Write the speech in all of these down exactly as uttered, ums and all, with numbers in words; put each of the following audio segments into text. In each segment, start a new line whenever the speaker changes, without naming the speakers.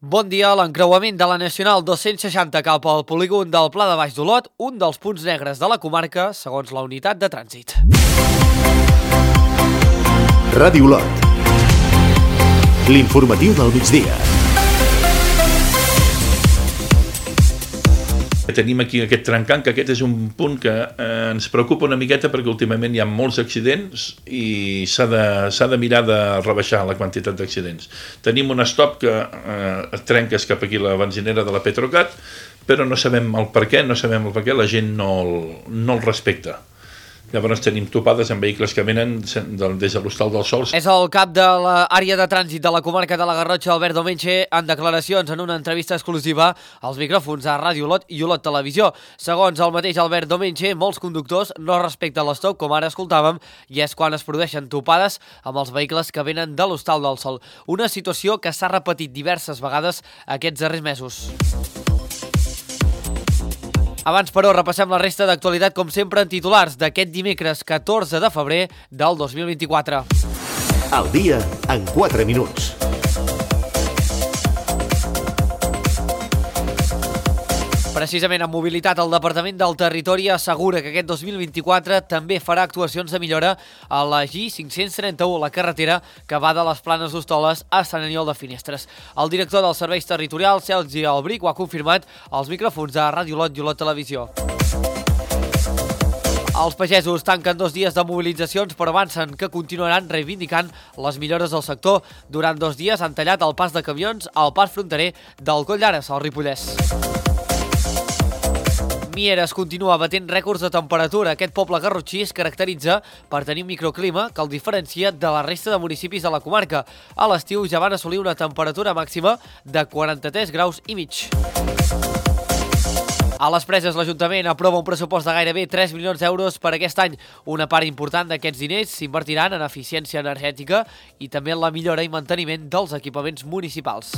Bon dia. L'encreuament de la Nacional dos-cents seixanta cap al polígon del Pla de Baix d'Olot, un dels punts negres de la comarca, segons la unitat de trànsit.
Ràdio Olot. L'informatiu del migdia.
Tenim aquí aquest trencant, que aquest és un punt que eh, ens preocupa una miqueta perquè últimament hi ha molts accidents i s'ha de, s'ha de mirar de rebaixar la quantitat d'accidents. Tenim un stop que eh, trenques cap aquí la benzinera de la Petrocat, però no sabem el per què, no sabem el per què, la gent no el, no el respecta. Llavors tenim topades amb vehicles que venen des de l'Hostal dels Sols.
És el cap de l'àrea de trànsit de la comarca de la Garrotxa, Albert Domènech, en declaracions en una entrevista exclusiva als micròfons a Ràdio Olot i Olot Televisió. Segons el mateix Albert Domènech, molts conductors no respecten l'estop, com ara escoltàvem, i és quan es produeixen topades amb els vehicles que venen de l'Hostal del Sol. Una situació que s'ha repetit diverses vegades aquests darrers mesos. Abans, però, repassem la resta d'actualitat, com sempre, en titulars d'aquest dimecres catorze de febrer del dos mil vint-i-quatre.
El dia en quatre minuts.
Precisament en mobilitat, el Departament del Territori assegura que aquest dos mil vint-i-quatre també farà actuacions de millora a la G cinc-cents trenta-u, la carretera que va de les Planes d'Hostoles a Sant Aniol de Finestres. El director dels serveis territorials, Sergi Albric, ho ha confirmat als micròfons de Ràdio Olot i Olot Televisió. Els pagesos tanquen dos dies de mobilitzacions, però avancen que continuaran reivindicant les millores del sector. Durant dos dies han tallat el pas de camions al pas fronterer del Coll d'Ares, al Ripollès. Mieres continua batent rècords de temperatura. Aquest poble garrotxí es caracteritza per tenir un microclima que el diferencia de la resta de municipis de la comarca. A l'estiu ja van assolir una temperatura màxima de quaranta-tres graus i mig. A les Preses, l'Ajuntament aprova un pressupost de gairebé tres milions d'euros per aquest any. Una part important d'aquests diners s'invertiran en eficiència energètica i també en la millora i manteniment dels equipaments municipals.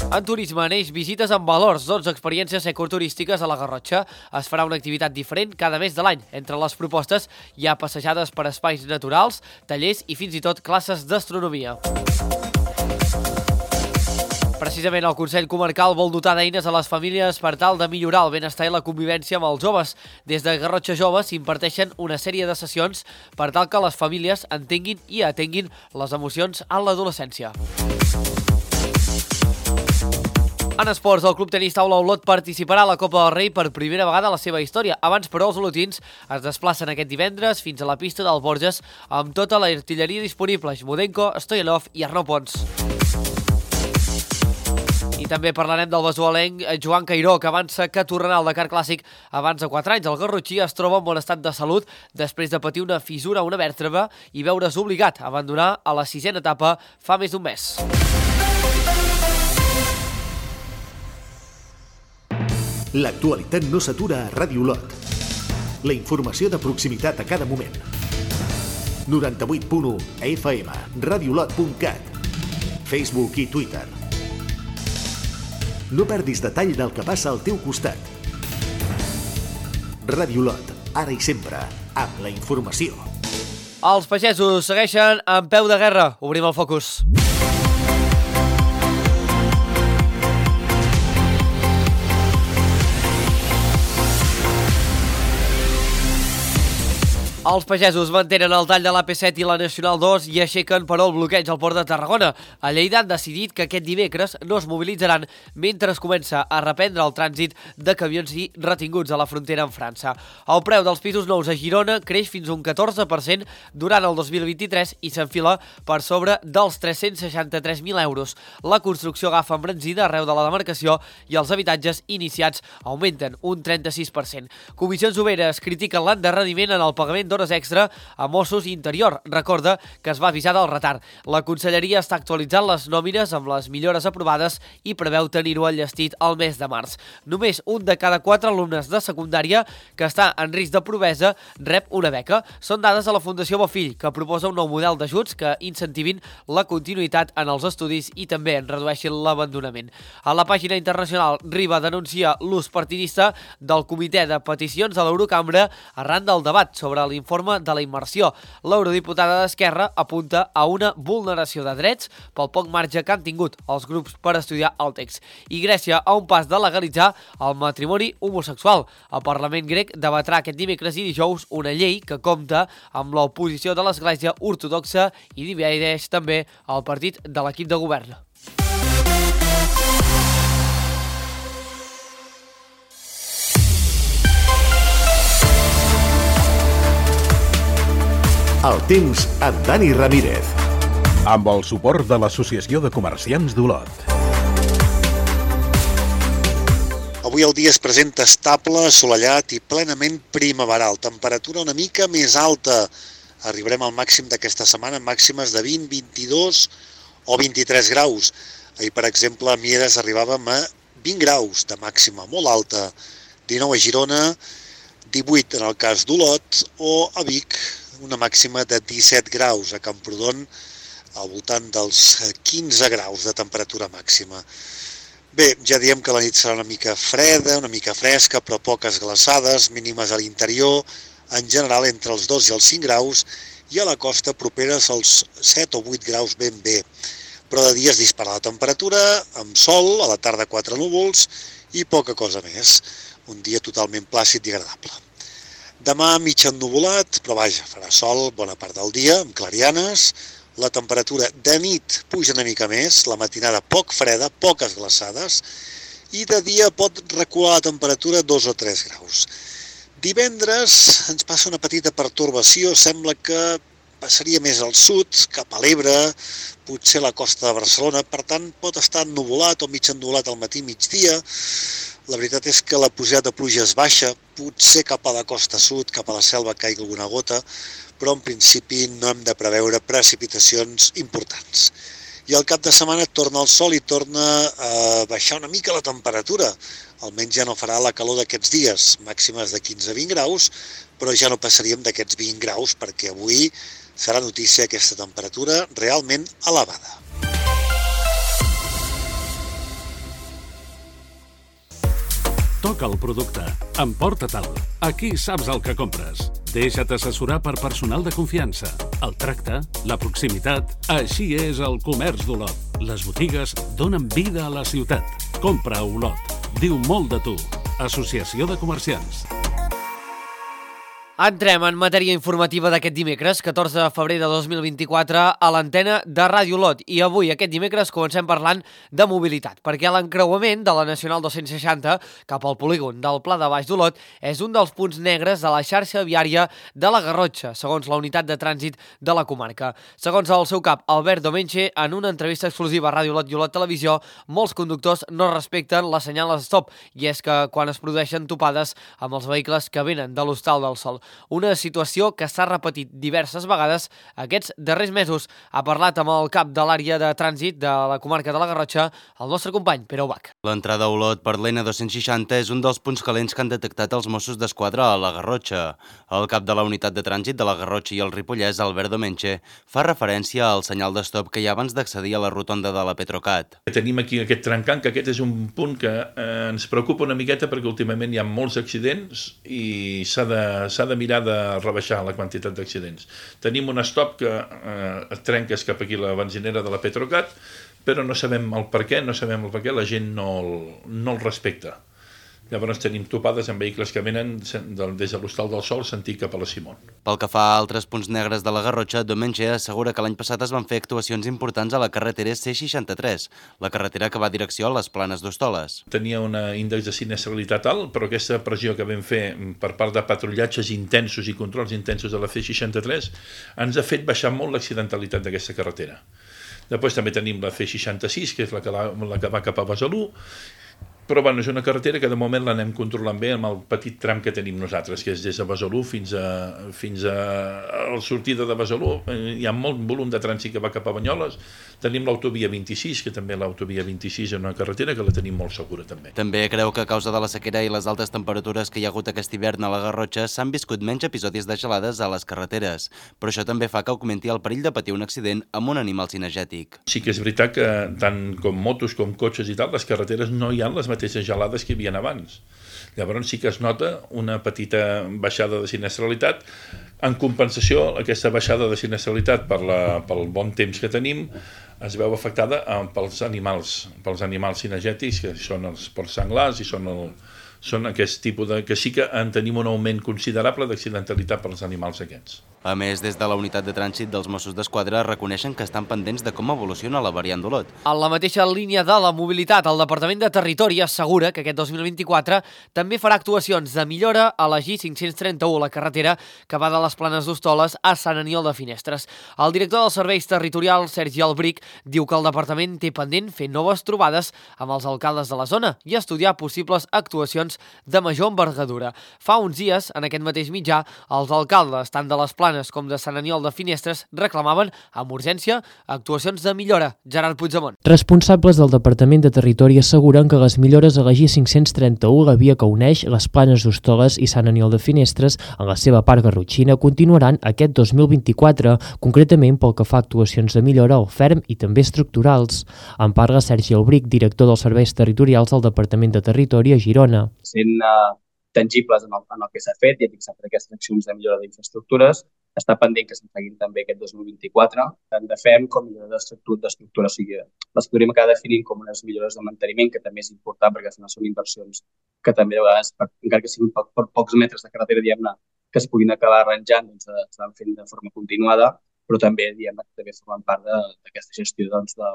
En turisme neix visites amb valors, dotze experiències ecoturístiques a la Garrotxa. Es farà una activitat diferent cada mes de l'any. Entre les propostes hi ha passejades per espais naturals, tallers i fins i tot classes d'astronomia. Precisament el Consell Comarcal vol dotar d'eines a les famílies per tal de millorar el benestar i la convivència amb els joves. Des de Garrotxa Jove s'imparteixen una sèrie de sessions per tal que les famílies entenguin i atenguin les emocions en l'adolescència. En esports, el Club Tenis Taula Olot participarà a la Copa del Rei per primera vegada a la seva història. Abans, però, els olotins es desplacen aquest divendres fins a la pista del Borges amb tota l'artilleria disponible: Jmodenko, Stoyanov i Arnau Pons. I també parlarem del vesualenc Joan Cairó, que avança que tornarà al Dakar Clàssic abans de quatre anys. El garrotxí es troba en bon estat de salut després de patir una fissura a una vèrtebra i veure's obligat a abandonar a la sisena etapa fa més d'un mes.
L'actualitat no s'atura a Ràdio Olot. La informació de proximitat a cada moment. noranta-vuit punt u F M, radiolot punt cat, Facebook i Twitter. No perdis detall del que passa al teu costat. Ràdio Olot, ara i sempre, amb la informació.
Els pagesos segueixen en peu de guerra. Obrim el focus. Els pagesos mantenen el tall de l'A P set i la Nacional dos i aixequen, però, el bloqueig al port de Tarragona. A Lleida han decidit que aquest dimecres no es mobilitzaran mentre es comença a reprendre el trànsit de camions i retinguts a la frontera amb França. El preu dels pisos nous a Girona creix fins a un catorze per cent durant el dos mil vint-i-tres i s'enfila per sobre dels tres-cents seixanta-tres mil euros. La construcció agafa embranzida arreu de la demarcació i els habitatges iniciats augmenten un trenta-sis per cent. Comissions Obreres critiquen l'endarreriment en el pagament d'hores extra a Mossos i Interior. Recorda que es va avisar del retard. La Conselleria està actualitzant les nòmines amb les millores aprovades i preveu tenir-ho enllestit al mes de març. Només un de cada quatre alumnes de secundària que està en risc de pobresa rep una beca. Són dades de la Fundació Bofill, que proposa un nou model d'ajuts que incentivin la continuïtat en els estudis i també en redueixin l'abandonament. A la pàgina internacional, Riba denuncia l'ús partidista del Comitè de Peticions de l'Eurocambra arran del debat sobre l'informació l'informe de la immersió. L'eurodiputada d'Esquerra apunta a una vulneració de drets pel poc marge que han tingut els grups per estudiar el text. I Grècia a un pas de legalitzar el matrimoni homosexual. El Parlament grec debatrà aquest dimecres i dijous una llei que compta amb l'oposició de l'Església ortodoxa i divideix també el partit de l'equip de govern.
El temps amb Dani Ramírez.
Amb el suport de l'Associació de Comerciants d'Olot.
Avui el dia es presenta estable, assolellat i plenament primaveral. Temperatura una mica més alta. Arribarem al màxim d'aquesta setmana, màximes de vint, vint-i-dos o vint-i-tres graus. Ahir, per exemple, a Mieres arribàvem a vint graus de màxima, molt alta. dinou a Girona, divuit en el cas d'Olot, o a Vic, una màxima de disset graus. A Camprodon, al voltant dels quinze graus de temperatura màxima. Bé, ja diem que la nit serà una mica freda, una mica fresca, però poques glaçades, mínimes a l'interior, en general entre els dos i els cinc graus, i a la costa properes als set o vuit graus ben bé. Però de dia es dispara la temperatura, amb sol, a la tarda quatre núvols i poca cosa més. Un dia totalment plàcid i agradable. Demà mig ennuvolat, però vaja, farà sol bona part del dia, amb clarianes. La temperatura de nit puja una mica més, la matinada poc freda, poques glaçades, i de dia pot recular la temperatura dos o tres graus. Divendres ens passa una petita pertorbació, sembla que passaria més al sud, cap a l'Ebre, potser la costa de Barcelona, per tant pot estar ennuvolat o mig ennuvolat al matí migdia. La veritat és que la pujada de pluja és baixa, potser cap a la costa sud, cap a la selva caigui alguna gota, però en principi no hem de preveure precipitacions importants. I al cap de setmana torna el sol i torna a baixar una mica la temperatura. Almenys ja no farà la calor d'aquests dies, màximes de quinze a vint graus, però ja no passaríem d'aquests vint graus perquè avui serà notícia aquesta temperatura realment elevada.
Toca el producte. Emporta-te'l. Aquí saps el que compres. Deixa't assessorar per personal de confiança. El tracte, la proximitat... Així és el comerç d'Olot. Les botigues donen vida a la ciutat. Compra a Olot. Diu molt de tu. Associació de Comerciants.
Entrem en matèria informativa d'aquest dimecres, catorze de febrer de dos mil vint-i-quatre, a l'antena de Ràdio Olot. I avui, aquest dimecres, comencem parlant de mobilitat, perquè l'encreuament de la Nacional dos-cents seixanta cap al polígon del Pla de Baix d'Olot és un dels punts negres de la xarxa viària de la Garrotxa, segons la unitat de trànsit de la comarca. Segons el seu cap, Albert Domenche, en una entrevista exclusiva a Ràdio Olot i Olot Televisió, molts conductors no respecten la senyal stop, i és que quan es produeixen topades amb els vehicles que venen de l'Hostal del Sol. Una situació que s'ha repetit diverses vegades aquests darrers mesos. Ha parlat amb el cap de l'àrea de trànsit de la comarca de la Garrotxa, el nostre company, Pere Ubach.
L'entrada a Olot per l'N dos-cents seixanta és un dels punts calents que han detectat els Mossos d'Esquadra a la Garrotxa. El cap de la unitat de trànsit de la Garrotxa i el Ripollès, Albert Domenche, fa referència al senyal d'estop que hi ha abans d'accedir a la rotonda de la Petrocat.
Tenim aquí aquest trencant, que aquest és un punt que eh, ens preocupa una miqueta perquè últimament hi ha molts accidents i s'ha de, s'ha de mirar de rebaixar la quantitat d'accidents. Tenim un stop que eh, trenques cap aquí la benzinera de la Petrocat, però no sabem el per què, no sabem el per què, la gent no el, no el respecta. Llavors tenim topades amb vehicles que venen des de l'Hostal del Sol sentit cap a la Simón.
Pel que fa a altres punts negres de la Garrotxa, Domenche assegura que l'any passat es van fer actuacions importants a la carretera C seixanta-tres, la carretera que va a direcció a les Planes d'Hostoles.
Tenia un índex de sinistralitat alt, però aquesta pressió que vam fer per part de patrullatges intensos i controls intensos de la C seixanta-tres ens ha fet baixar molt l'accidentalitat d'aquesta carretera. Després també tenim la C seixanta-sis, que és la que, la, la que va cap a Besalú, però bueno, és una carretera que de moment l'anem controlant bé amb el petit tram que tenim nosaltres, que és des de Besalú fins a, fins a, a la sortida de Besalú. Hi ha molt volum de trànsit que va cap a Banyoles. Tenim l'autovia vint-i-sis, que també l'autovia vint-i-sis és una carretera que la tenim molt segura també.
També creu que a causa de la sequera i les altes temperatures que hi ha hagut aquest hivern a la Garrotxa s'han viscut menys episodis de gelades a les carreteres, però això també fa que augmenti el perill de patir un accident amb un animal cinegètic.
Sí que és veritat que tant com motos com cotxes i tal, les carreteres no hi ha les mateixes gelades que hi havia abans. Llavors sí que es nota una petita baixada de sinistralitat. En compensació, aquesta baixada de sinistralitat per la, pel bon temps que tenim es veu afectada pels animals, pels animals cinegètics, que són els porcs senglars i són, el, són aquest tipus de... que sí que en tenim un augment considerable d'accidentalitat pels animals aquests.
A més, des de la unitat de trànsit dels Mossos d'Esquadra reconeixen que estan pendents de com evoluciona la variant d'Olot.
En la mateixa línia de la mobilitat, el Departament de Territori assegura que aquest dos mil vint-i-quatre també farà actuacions de millora a la G cinc-cents trenta-u, la carretera que va de les Planes d'Hostoles a Sant Aniol de Finestres. El director dels Serveis Territorials, Sergi Albric, diu que el departament té pendent fer noves trobades amb els alcaldes de la zona i estudiar possibles actuacions de major envergadura. Fa uns dies, en aquest mateix mitjà, els alcaldes, tant de les Planes com de Sant Aniol de Finestres, reclamaven amb urgència actuacions de millora. Gerard Puigdemont.
Responsables del Departament de Territori asseguren que les millores a la G cinc-cents trenta-u, la via que uneix les Planes d'Hostoles i Sant Aniol de Finestres, en la seva part garrotxina, continuaran aquest dos mil vint-i-quatre, concretament pel que fa a actuacions de millora al ferm i també estructurals. En parla Sergi Albric, director dels Serveis Territorials del Departament de Territori a Girona.
Sent uh, tangibles en el, en el que s'ha fet i fixat per aquestes accions de millora d'infraestructures, està pendent que se'n facin també aquest dos mil vint-i-quatre, tant de F E M com millora d'estructura. O sigui, les podríem acabar definint com unes millores de manteniment, que també és important perquè són inversions que també a vegades, per, encara que siguin per, per pocs metres de carretera, diguem-ne, que es puguin acabar arranjant, doncs s'estan fent de forma continuada, però també, diguem-ne, que també formen part d'aquesta gestió doncs, de,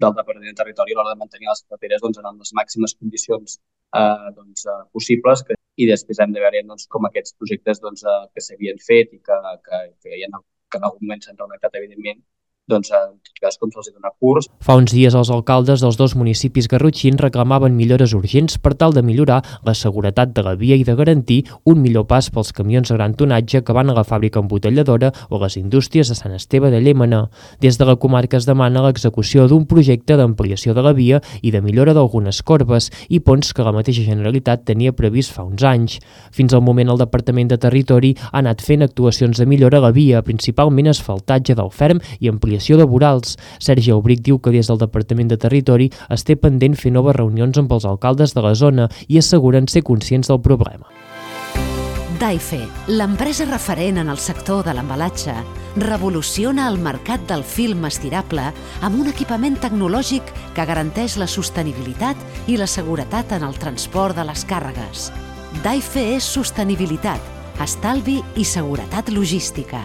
del Departament de Territori a l'hora de mantenir les carreteres doncs, en les màximes condicions eh, doncs, eh, possibles, que i després hem de veure doncs, com aquests projectes doncs, eh, que s'havien fet i que, que, que, ja no, que en algun moment s'han redactat, evidentment, doncs en tot cas com se'ls dona curs.
Fa uns dies els alcaldes dels dos municipis garrotxins reclamaven millores urgents per tal de millorar la seguretat de la via i de garantir un millor pas pels camions de gran tonatge que van a la fàbrica embotelladora o a les indústries de Sant Esteve de Llémena. Des de la comarca es demana l'execució d'un projecte d'ampliació de la via i de millora d'algunes corbes i ponts que la mateixa Generalitat tenia previst fa uns anys. Fins al moment el Departament de Territori ha anat fent actuacions de millora a la via, principalment asfaltatge del ferm i ampliació de vorals. Sergi Aubric diu que des del Departament de Territori es té pendent fer noves reunions amb els alcaldes de la zona i asseguren ser conscients del problema.
Daife, l'empresa referent en el sector de l'embalatge, revoluciona el mercat del film estirable amb un equipament tecnològic que garanteix la sostenibilitat i la seguretat en el transport de les càrregues. Daife és sostenibilitat, estalvi i seguretat logística.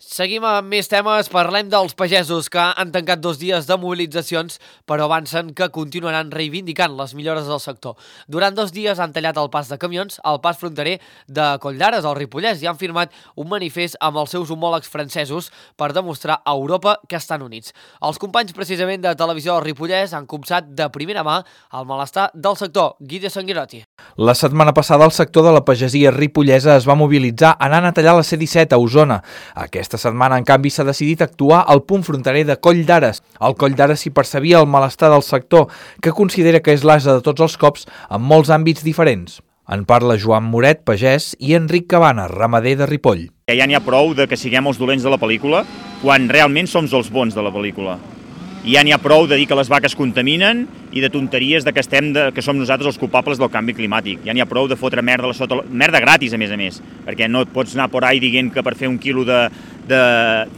Seguim amb més temes, parlem dels pagesos que han tancat dos dies de mobilitzacions però avancen que continuaran reivindicant les millores del sector. Durant dos dies han tallat el pas de camions al pas fronterer de Colldares, al Ripollès, i han firmat un manifest amb els seus homòlegs francesos per demostrar a Europa que estan units. Els companys precisament de Televisió del Ripollès han copsat de primera mà el malestar del sector. Guille Sanguirotti.
La setmana passada el sector de la pagesia ripollesa es va mobilitzar anant a tallar la C disset a Osona. Aquesta setmana, en canvi, s'ha decidit actuar al punt fronterer de Coll d'Ares. Al Coll d'Ares s'hi percebia el malestar del sector, que considera que és l'ase de tots els cops en molts àmbits diferents. En parla Joan Moret, pagès, i Enric Cabana, ramader de Ripoll.
Ja n'hi ha prou de que siguem els dolents de la pel·lícula, quan realment som els bons de la pel·lícula. I ja n'hi ha prou de dir que les vaques contaminen i de tonteries de que, estem de, que som nosaltres els culpables del canvi climàtic. Ja n'hi ha prou de fotre merda, a sota, merda gratis, a més a més, perquè no et pots anar por ahí dient que per fer un quilo de, de,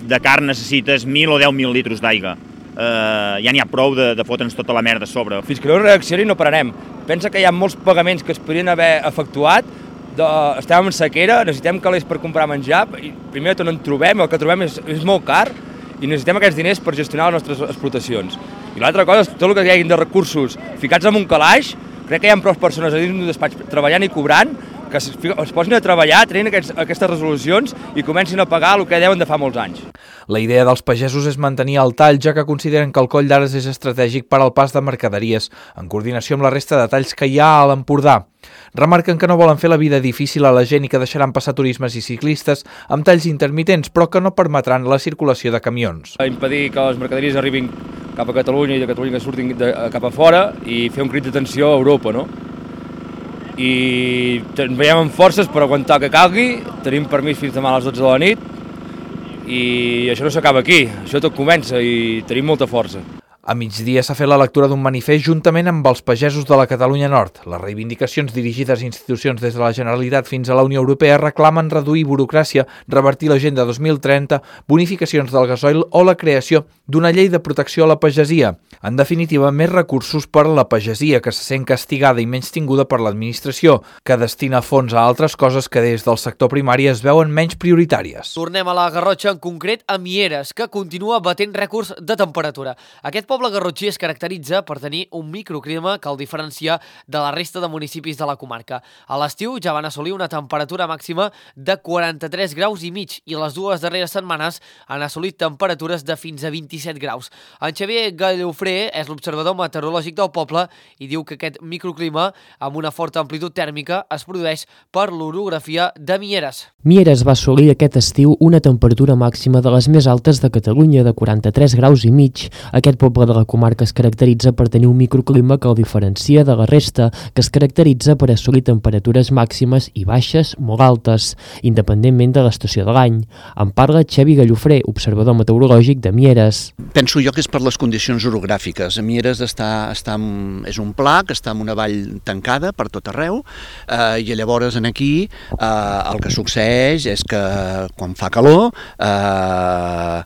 de carn necessites mil o deu mil litros d'aigua. Uh, ja n'hi ha prou de, de fotre'ns tota la merda a sobre.
Fins que no reaccioni no pararem. Pensa que hi ha molts pagaments que es podrien haver efectuat, de, estem en sequera, necessitem calés per comprar menjar, i primer tot no en trobem, el que trobem és, és molt car, i necessitem aquests diners per gestionar les nostres explotacions. I l'altra cosa és tot el que hi hagi de recursos ficats en un calaix. Crec que hi ha prou persones a dins d'un despatx treballant i cobrant que es, es posin a treballar, trenin aquests, aquestes resolucions i comencin a pagar el que deuen de fa molts anys.
La idea dels pagesos és mantenir el tall, ja que consideren que el Coll d'Ares és estratègic per al pas de mercaderies, en coordinació amb la resta de talls que hi ha a l'Empordà. Remarquen que no volen fer la vida difícil a la gent i que deixaran passar turismes i ciclistes amb talls intermitents, però que no permetran la circulació de camions.
Impedir que les mercaderies arribin cap a Catalunya i de Catalunya que surtin de, cap a fora i fer un crit d'atenció a Europa, no? I ens veiem amb forces per aguantar que calgui, tenim permís fins demà a les dotze de la nit i això no s'acaba aquí, això tot comença i tenim molta força.
A migdia s'ha fet la lectura d'un manifest juntament amb els pagesos de la Catalunya Nord. Les reivindicacions dirigides a institucions des de la Generalitat fins a la Unió Europea reclamen reduir burocràcia, revertir l'Agenda dos mil trenta, bonificacions del gasoil o la creació d'una llei de protecció a la pagesia. En definitiva, més recursos per a la pagesia, que se sent castigada i menys tinguda per l'administració, que destina fons a altres coses que des del sector primari es veuen menys prioritàries.
Tornem a la Garrotxa, en concret a Mieres, que continua batent rècords de temperatura. Aquest poble garrotxí es caracteritza per tenir un microclima que el diferencia de la resta de municipis de la comarca. A l'estiu ja van assolir una temperatura màxima de quaranta-tres graus i mig i les dues darreres setmanes han assolit temperatures de fins a vint-i-set graus. En Xavier Gallofré és l'observador meteorològic del poble i diu que aquest microclima, amb una forta amplitud tèrmica, es produeix per l'orografia de Mieres.
Mieres va assolir aquest estiu una temperatura màxima de les més altes de Catalunya, de quaranta-tres graus i mig. Aquest poble de la comarca es caracteritza per tenir un microclima que el diferencia de la resta, que es caracteritza per assolir temperatures màximes i baixes molt altes, independentment de l'estació de l'any. En parla Xavi Gallofré, observador meteorològic de Mieres.
Penso jo que és per les condicions orogràfiques. Mieres està, està en, és un pla que està en una vall tancada per tot arreu, eh, i llavors en aquí eh, el que succeeix és que quan fa calor eh,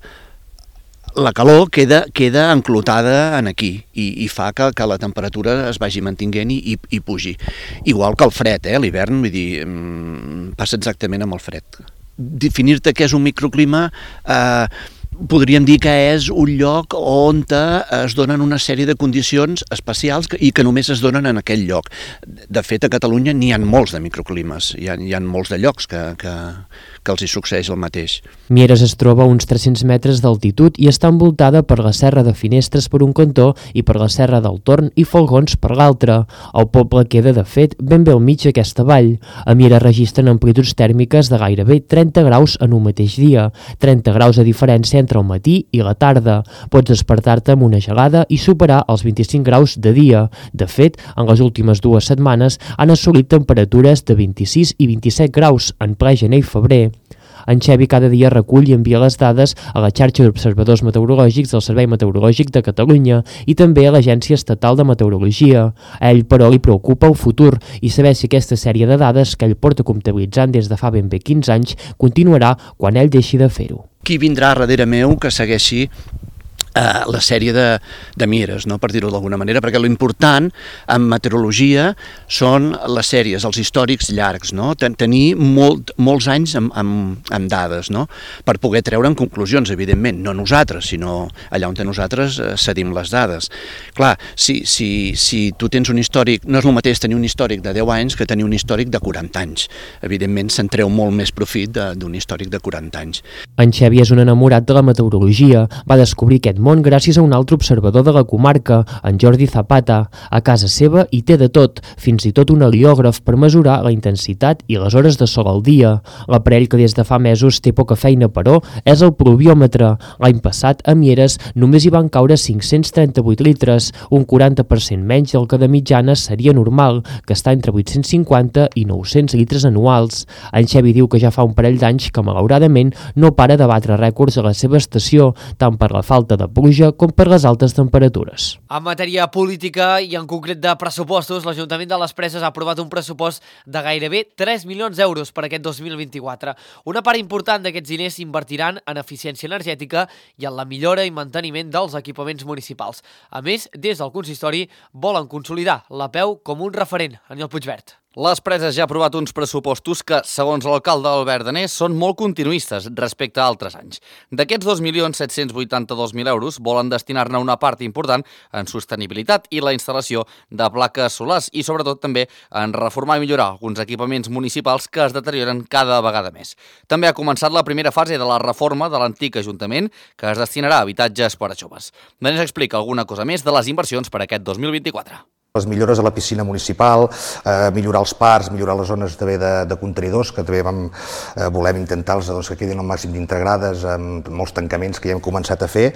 la calor queda, queda enclotada en aquí i, i fa que, que la temperatura es vagi mantinguent i, i, i pugi. Igual que el fred, eh? L'hivern, vull dir, passa exactament amb el fred. Definir-te què és un microclima, eh, podríem dir que és un lloc on es donen una sèrie de condicions especials i que només es donen en aquell lloc. De fet, a Catalunya n'hi ha molts de microclimes, hi ha, hi ha molts de llocs que, que, que els hi succeeix el mateix.
Mieres es troba a uns tres-cents metres d'altitud i està envoltada per la serra de Finestres per un cantó i per la serra del Torn i Folgons per l'altre. El poble queda, de fet, ben bé al mig d'aquesta vall. A Mieres registren amplituds tèrmiques de gairebé trenta graus en un mateix dia, trenta graus de diferència entre el matí i la tarda. Pots despertar-te amb una gelada i superar els vint-i-cinc graus de dia. De fet, en les últimes dues setmanes han assolit temperatures de vint-i-sis i vint-i-set graus en ple gener i febrer. En Xavi cada dia recull i envia les dades a la xarxa d'observadors meteorològics del Servei Meteorològic de Catalunya i també a l'Agència Estatal de Meteorologia. A ell, però, li preocupa el futur i saber si aquesta sèrie de dades que ell porta comptabilitzant des de fa ben bé quinze anys continuarà quan ell deixi de fer-ho.
Qui vindrà darrere meu que segueixi Uh, la sèrie de, de Mieres, no? Per dir-ho d'alguna manera, perquè l'important en meteorologia són les sèries, els històrics llargs, no? Ten tenir molt, molts anys amb, amb, amb dades, no? Per poder treure'n conclusions, evidentment, no nosaltres, sinó allà on nosaltres uh, cedim les dades. Clar, si, si, si tu tens un històric, no és el mateix tenir un històric de deu anys que tenir un històric de quaranta anys. Evidentment, se'n treu molt més profit d'un històric de quaranta anys.
En Xavi és un enamorat de la meteorologia. Va descobrir aquest món gràcies a un altre observador de la comarca, en Jordi Zapata. A casa seva hi té de tot, fins i tot un heliògraf per mesurar la intensitat i les hores de sol al dia. L'aparell que des de fa mesos té poca feina, però, és el pluviòmetre. L'any passat, a Mieres, només hi van caure cinc-cents trenta-vuit litres, un quaranta per cent menys del que de mitjana seria normal, que està entre vuit-cents cinquanta i nou-cents litres anuals. En Xavi diu que ja fa un parell d'anys que, malauradament, no para de batre rècords a la seva estació, tant per la falta de pluja com per les altes temperatures.
En matèria política i en concret de pressupostos, l'Ajuntament de les Preses ha aprovat un pressupost de gairebé tres milions d'euros per aquest dos mil vint-i-quatre. Una part important d'aquests diners s'invertiran en eficiència energètica i en la millora i manteniment dels equipaments municipals. A més, des del consistori volen consolidar la P E U com un referent. Aniol Puigvert.
Les Preses ja ha aprovat uns pressupostos que, segons l'alcalde Albert Danés, són molt continuistes respecte a altres anys. D'aquests dos milions set-cents vuitanta-dos mil euros volen destinar-ne una part important en sostenibilitat i la instal·lació de plaques solars i, sobretot, també en reformar i millorar alguns equipaments municipals que es deterioren cada vegada més. També ha començat la primera fase de la reforma de l'antic Ajuntament, que es destinarà a habitatges per a joves. Danés explica alguna cosa més de les inversions per aquest dos mil vint-i-quatre.
Les millores a la piscina municipal, eh, millorar els parcs, millorar les zones també de, de contenidors, que també vam, eh, volem intentar-los doncs, que quedin al màxim d'integrades, amb molts tancaments que ja hem començat a fer,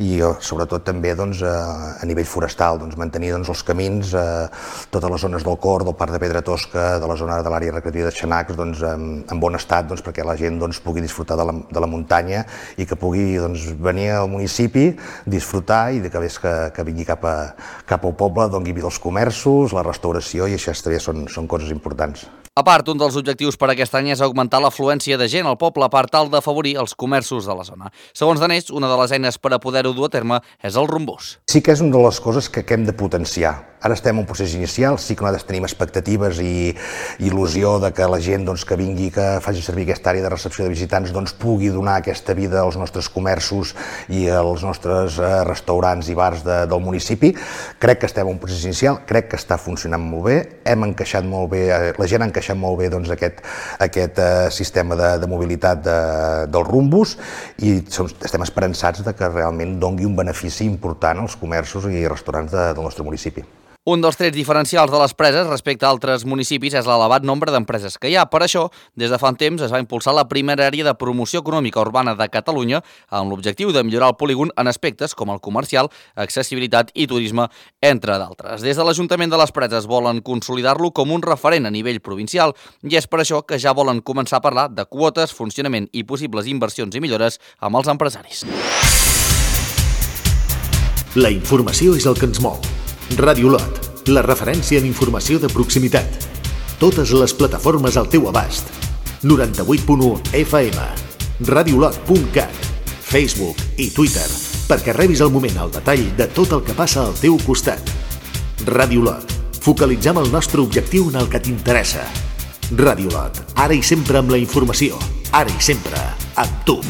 i eh, sobretot també doncs, eh, a nivell forestal, doncs, mantenir doncs, els camins, eh, totes les zones del Cor, del Parc de Pedra Tosca, de la zona de l'àrea recreativa de Xanacs, doncs, en, en bon estat, doncs, perquè la gent doncs, pugui disfrutar de la, de la muntanya i que pugui doncs, venir al municipi, disfrutar i de que, ves que, que vingui cap, a, cap al poble, doni vida als comerços, la restauració, i això també són, són coses importants.
A part, un dels objectius per aquest any és augmentar l'afluència de gent al poble per tal d'afavorir els comerços de la zona. Segons Danés, una de les eines per a poder-ho dur a terme és el rumbús.
Sí que és una de les coses que hem de potenciar. Ara estem en un procés inicial, sí que nosaltres tenim expectatives i il·lusió de que la gent doncs, que vingui, que faci servir aquesta àrea de recepció de visitants, doncs, pugui donar aquesta vida als nostres comerços i als nostres eh, restaurants i bars de, del municipi. Crec que estem en un procés inicial, crec que està funcionant molt bé, hem encaixat molt bé, eh, la gent ha encaixat molt bé doncs, aquest, aquest eh, sistema de, de mobilitat de, del rumbús, i som, estem esperançats de que realment doni un benefici important als comerços i restaurants de, del nostre municipi.
Un dels trets diferencials de les preses respecte a altres municipis és l'elevat nombre d'empreses que hi ha. Per això, des de fa un temps es va impulsar la primera àrea de promoció econòmica urbana de Catalunya amb l'objectiu de millorar el polígon en aspectes com el comercial, accessibilitat i turisme, entre d'altres. Des de l'Ajuntament de les Preses volen consolidar-lo com un referent a nivell provincial i és per això que ja volen començar a parlar de quotes, funcionament i possibles inversions i millores amb els empresaris.
La informació és el que ens mou. Ràdio Lot, la referència en informació de proximitat. Totes les plataformes al teu abast. noranta-vuit punt u F M, radiolot punt cat, Facebook i Twitter, perquè rebis al moment el detall de tot el que passa al teu costat. Ràdio Lot, focalitzem el nostre objectiu en el que t'interessa. Ràdio Lot, ara i sempre amb la informació, ara i sempre amb tu.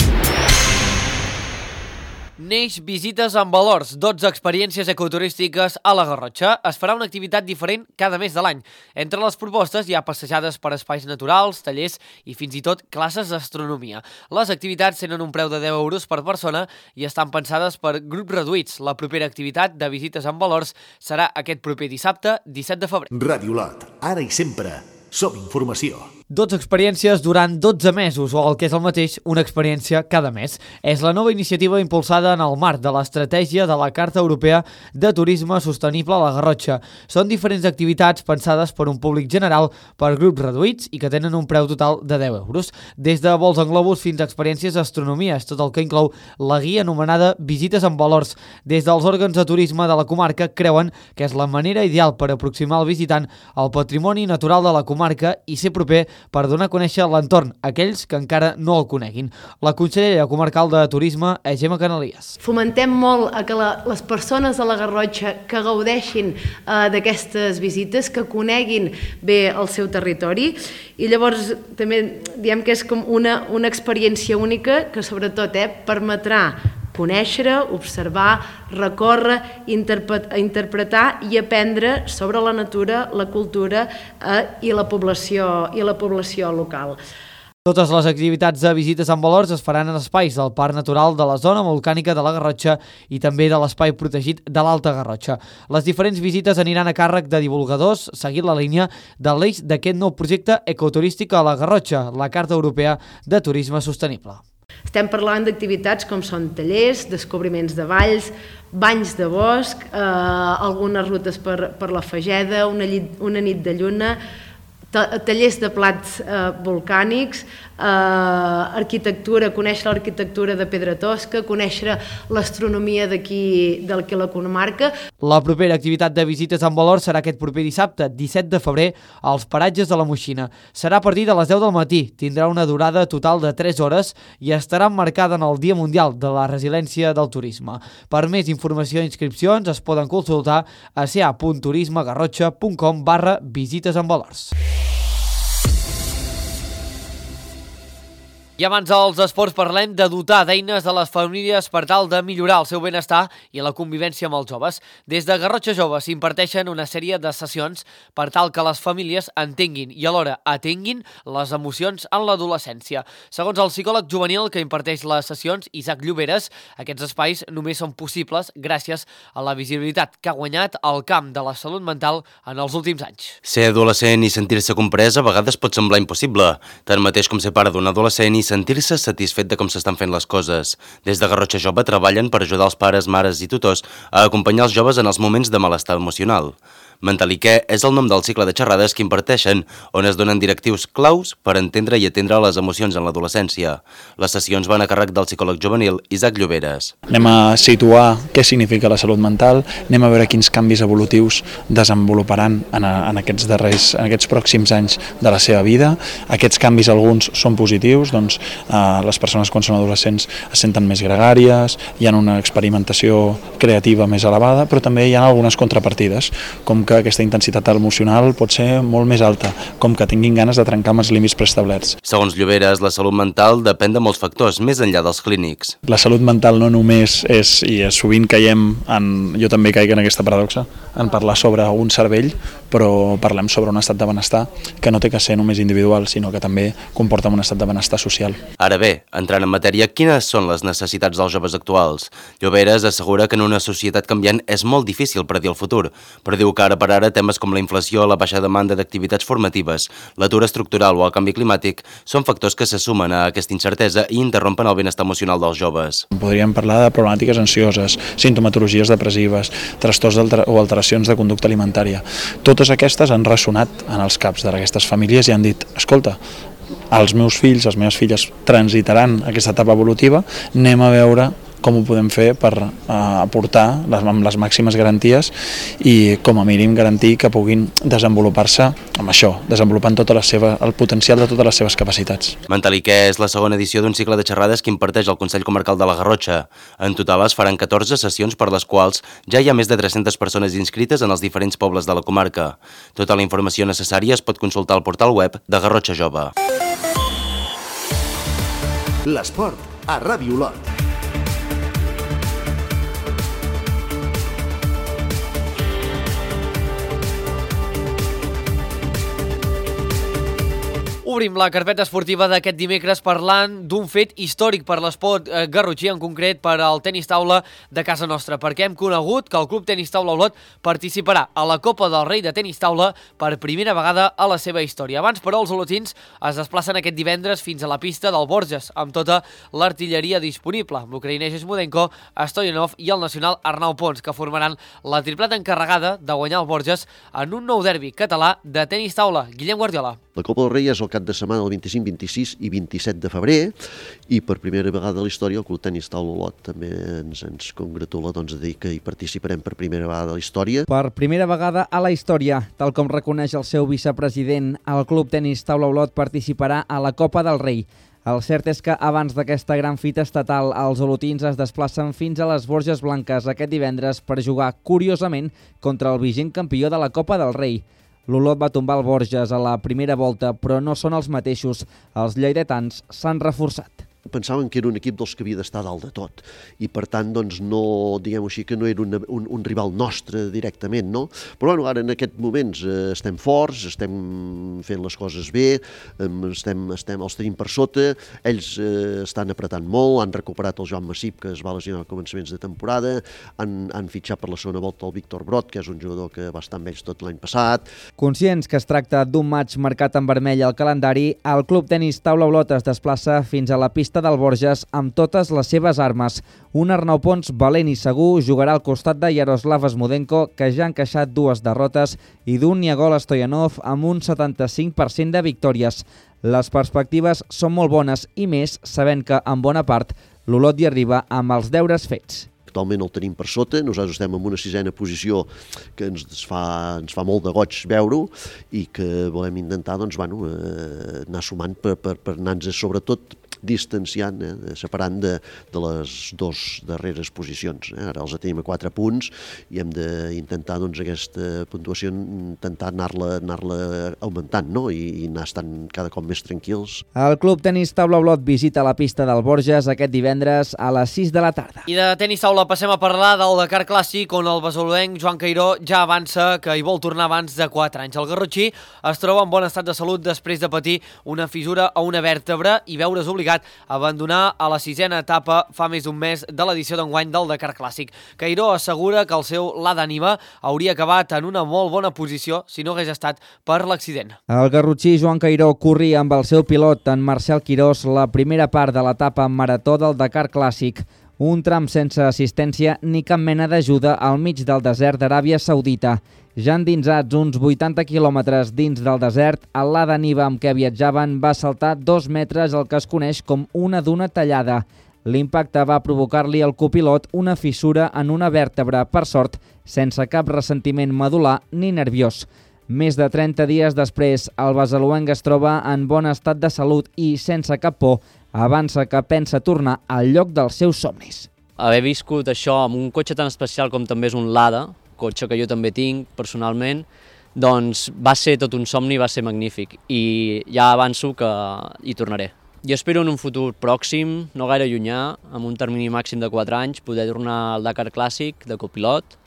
Neix Visites amb Valors, dotze experiències ecoturístiques a la Garrotxa. Es farà una activitat diferent cada mes de l'any. Entre les propostes hi ha passejades per espais naturals, tallers i fins i tot classes d'astronomia. Les activitats tenen un preu de deu euros per persona i estan pensades per grups reduïts. La propera activitat de Visites amb Valors serà aquest proper dissabte, disset de febrer.
Ràdio Lot, ara i sempre som informació.
dotze experiències durant dotze mesos, o el que és el mateix, una experiència cada mes. És la nova iniciativa impulsada en el marc de l'estratègia de la Carta Europea de Turisme Sostenible a la Garrotxa. Són diferents activitats pensades per un públic general, per grups reduïts i que tenen un preu total de deu euros. Des de vols en globus fins a experiències d'astronomia, és tot el que inclou la guia anomenada Visites amb Valors. Des dels òrgans de turisme de la comarca creuen que és la manera ideal per aproximar el visitant al patrimoni natural de la comarca i ser proper per donar a conèixer l'entorn a aquells que encara no el coneguin. La consellera comarcal de Turisme és Gemma Canalies.
Fomentem molt a que la, les persones de la Garrotxa que gaudeixin eh, d'aquestes visites, que coneguin bé el seu territori, i llavors també diem que és com una, una experiència única que sobretot eh, permetrà conèixer, observar, recórrer, interpretar i aprendre sobre la natura, la cultura eh, i la població i la població local.
Totes les activitats de Visites amb Valors es faran en espais del Parc Natural de la Zona Volcànica de la Garrotxa i també de l'espai protegit de l'Alta Garrotxa. Les diferents visites aniran a càrrec de divulgadors, seguint la línia de l'eix d'aquest nou projecte ecoturístic a la Garrotxa, la Carta Europea de Turisme Sostenible.
Estem parlant d'activitats com són tallers, descobriments de valls, banys de bosc, eh, algunes rutes per, per la Fageda, una, llit, una nit de lluna, tallers de plats eh, volcànics, eh, arquitectura, conèixer l'arquitectura de Pedra Tosca, conèixer l'astronomia d'aquí, d'aquí la comarca.
La propera activitat de Visites amb Valor serà aquest proper dissabte, disset de febrer, als paratges de la Moixina. Serà a partir de les deu del matí, tindrà una durada total de tres hores i estarà emmarcada en el Dia Mundial de la Resiliència del Turisme. Per més informació i inscripcions es poden consultar a ca punt turismegarrotxa punt com barra visites amb valors. I abans dels esports parlem de dotar d'eines a les famílies per tal de millorar el seu benestar i la convivència amb els joves. Des de Garrotxa Jove s'imparteixen una sèrie de sessions per tal que les famílies entenguin i alhora atenguin les emocions en l'adolescència. Segons el psicòleg juvenil que imparteix les sessions, Isaac Lloberes, aquests espais només són possibles gràcies a la visibilitat que ha guanyat el camp de la salut mental en els últims anys.
Ser adolescent i sentir-se comprès a vegades pot semblar impossible, tanmateix com ser pare d'un adolescent i sentir-se satisfet de com s'estan fent les coses. Des de Garrotxa Jove treballen per ajudar els pares, mares i tutors a acompanyar els joves en els moments de malestar emocional. Mentaliquer és el nom del cicle de xerrades que imparteixen, on es donen directius claus per entendre i atendre les emocions en l'adolescència. Les sessions van a càrrec del psicòleg juvenil Isaac Lloberes.
Anem a situar què significa la salut mental, anem a veure quins canvis evolutius desenvoluparan en, a, en, aquests, darrers, en aquests pròxims anys de la seva vida. Aquests canvis alguns són positius, doncs eh, les persones quan són adolescents es senten més gregàries, hi ha una experimentació creativa més elevada, però també hi ha algunes contrapartides, com que aquesta intensitat emocional pot ser molt més alta, com que tinguin ganes de trencar amb els límits preestablerts.
Segons Lloberes, la salut mental depèn de molts factors, més enllà dels clínics.
La salut mental no només és, i sovint caiem, en, jo també caic en aquesta paradoxa, en parlar sobre un cervell, però parlem sobre un estat de benestar que no té que ser només individual, sinó que també comporta un estat de benestar social.
Ara bé, entrant en matèria, quines són les necessitats dels joves actuals? Lloberes assegura que en una societat canviant és molt difícil predir el futur, però diu que ara per ara temes com la inflació, la baixa demanda d'activitats formatives, l'atur estructural o el canvi climàtic són factors que se sumen a aquesta incertesa i interrompen el benestar emocional dels joves.
Podríem parlar de problemàtiques ansioses, sintomatologies depressives, trastorns o alteracions de conducta alimentària. Totes aquestes han ressonat en els caps d'aquestes famílies i han dit, escolta, els meus fills, les meves filles transitaran aquesta etapa evolutiva, anem a veure com ho podem fer per uh, aportar les, amb les màximes garanties i com a mínim garantir que puguin desenvolupar-se amb això, desenvolupant tota la seva, el potencial de totes les seves capacitats.
Mentaliquer és la segona edició d'un cicle de xerrades que imparteix el Consell Comarcal de la Garrotxa. En total es faran catorze sessions per les quals ja hi ha més de tres-centes persones inscrites en els diferents pobles de la comarca. Tota la informació necessària es pot consultar al portal web de Garrotxa Jove.
L'esport a Ràdio Olot.
Obrim la carpeta esportiva d'aquest dimecres parlant d'un fet històric per l'esport eh, garrotxí, en concret per al tenis taula de casa nostra, perquè hem conegut que el Club Tenis Taula Olot participarà a la Copa del Rei de Tenis Taula per primera vegada a la seva història. Abans, però, els olotins es desplacen aquest divendres fins a la pista del Borges, amb tota l'artilleria disponible, amb l'ucraïnès Smodenko, Stoyanov i el nacional Arnau Pons, que formaran la tripleta encarregada de guanyar el Borges en un nou derbi català de tenis taula. Guillem Guardiola.
La Copa del Rei és el cap de setmana del vint-i-cinc, vint-i-sis i vint-i-set de febrer i per primera vegada a la història el Club Tenis Taula Olot també ens, ens congratula doncs, de dir que hi participarem per primera vegada a la història.
Per primera vegada a la història, tal com reconeix el seu vicepresident, el Club Tenis Taula Olot participarà a la Copa del Rei. El cert és que abans d'aquesta gran fita estatal, els olotins es desplacen fins a les Borges Blanques aquest divendres per jugar, curiosament, contra el vigent campió de la Copa del Rei. L'Olot va tombar el Borges a la primera volta, però no són els mateixos. Els lleidatans s'han reforçat.
Pensaven que era un equip dels que havia d'estar dalt de tot i per tant doncs no, diguem-ho així, que no era una, un, un rival nostre directament, no? Però bueno, ara en aquests moments eh, estem forts, estem fent les coses bé, eh, estem, estem, els tenim per sota, ells eh, estan apretant molt, han recuperat el Joan Massip, que es va lesionar a començaments de temporada, han, han fitxat per la segona volta el Víctor Brot, que és un jugador que va estar amb ells tot l'any passat.
Conscients que es tracta d'un maig marcat en vermell al calendari, el Club Tenis Taula Olot es desplaça fins a la pista del Borges amb totes les seves armes. Un Arnau Pons valent i segur jugarà al costat de Yaroslav Smodenko, que ja ha encaixat dues derrotes, i d'un Niagol Stoyanov amb un setanta-cinc per cent de victòries. Les perspectives són molt bones i més sabent que, en bona part, l'Olot hi arriba amb els deures fets.
Actualment el tenim per sota, nosaltres estem en una sisena posició que ens fa, ens fa molt de goig veure-ho i que volem intentar doncs, bueno, eh, anar sumant per, per, per anar-nos, sobretot, distanciant, eh, separant de, de les dues darreres posicions. Eh? Ara els tenim a quatre punts i hem d'intentar doncs, aquesta puntuació intentar anar-la anar-la augmentant, no? I, i anar estant cada cop més tranquils.
El Club Tenis Taula Olot visita la pista del Borges aquest divendres a les sis de la tarda.
I de tenis taula passem a parlar del Dakar Clàssic, on el basoloenc Joan Cairó ja avança que hi vol tornar abans de quatre anys. El garrotxí es troba en bon estat de salut després de patir una fissura a una vèrtebra i veure's obligat a abandonar a la sisena etapa fa més d'un mes de l'edició d'enguany del Dakar Clàssic. Cairó assegura que el seu Lada Niva hauria acabat en una molt bona posició si no hagués estat per l'accident.
El garrotxí Joan Cairó corria amb el seu pilot, en Marcel Quirós, la primera part de l'etapa marató del Dakar Clàssic, un tram sense assistència ni cap mena d'ajuda al mig del desert d'Aràbia Saudita. Ja endinsats uns vuitanta quilòmetres dins del desert, el Lada Niva amb què viatjaven va saltar dos metres el que es coneix com una duna tallada. L'impacte va provocar-li al copilot una fissura en una vèrtebra, per sort, sense cap ressentiment medular ni nerviós. Més de trenta dies després, el basaloenc es troba en bon estat de salut i, sense cap por, avança que pensa tornar al lloc dels seus somnis.
Haver viscut això amb un cotxe tan especial com també és un Lada, cotxe que jo també tinc personalment, doncs va ser tot un somni, va ser magnífic i ja avanço que hi tornaré. Jo espero en un futur pròxim, no gaire llunyà, amb un termini màxim de quatre anys, poder tornar al Dakar Clàssic de copilot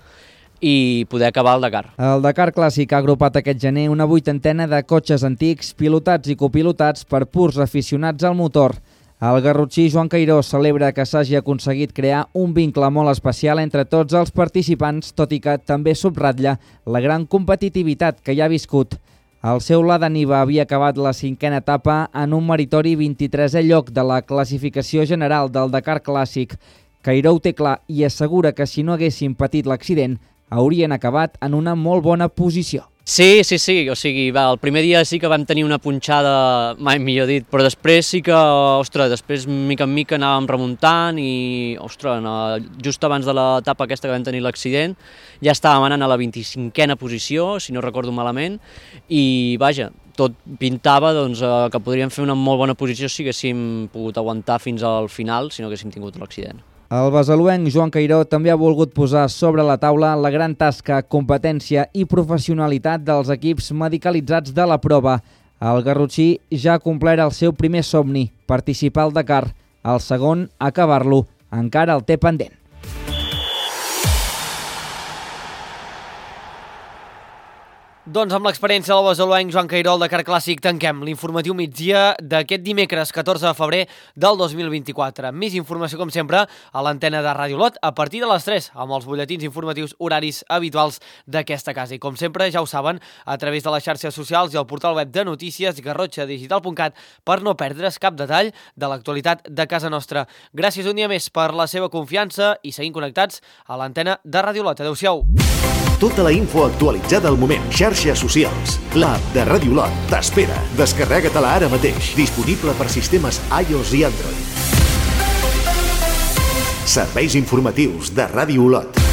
i poder acabar el Dakar.
El Dakar Clàssic ha agrupat aquest gener una vuitantena de cotxes antics, pilotats i copilotats per purs aficionats al motor. El garrotxí Joan Cairó celebra que s'hagi aconseguit crear un vincle molt especial entre tots els participants, tot i que també subratlla la gran competitivitat que hi ha viscut. El seu Lada Niva havia acabat la cinquena etapa en un meritori vint-i-tresè lloc de la classificació general del Dakar Clàssic. Cairó ho té clar i assegura que si no haguessin patit l'accident, haurien acabat en una molt bona posició.
Sí, sí, sí, o sigui, va, el primer dia sí que vam tenir una punxada, mai millor dit, però després sí que, ostres, després mica en mica anàvem remuntant i, ostres, just abans de l'etapa aquesta que vam tenir l'accident, ja estàvem anant a la vint-i-cinquena posició, si no recordo malament, i vaja, tot pintava doncs, que podríem fer una molt bona posició si haguéssim pogut aguantar fins al final, si no haguéssim tingut l'accident.
El basaloenc Joan Cairó també ha volgut posar sobre la taula la gran tasca, competència i professionalitat dels equips medicalitzats de la prova. El garrotxí ja ha complert el seu primer somni, participar al Dakar. El segon, acabar-lo, encara el té pendent.
Doncs amb l'experiència del basaloenc Joan Cairó al Dakar Clàssic tanquem l'informatiu migdia d'aquest dimecres catorze de febrer del dos mil vint-i-quatre. Més informació, com sempre, a l'antena de Ràdio Olot a partir de les tres, amb els butlletins informatius horaris habituals d'aquesta casa. I com sempre, ja ho saben, a través de les xarxes socials i el portal web de notícies garrotxa digital punt cat per no perdre's cap detall de l'actualitat de casa nostra. Gràcies un dia més per la seva confiança i seguim connectats a l'antena de Ràdio Olot. Adéu-siau.
Tota la info actualitzada al moment. Xarxes socials. L'app de Ràdio Olot t'espera. Descarrega-te-la ara mateix. Disponible per sistemes iOS i Android. Serveis informatius de Ràdio Olot.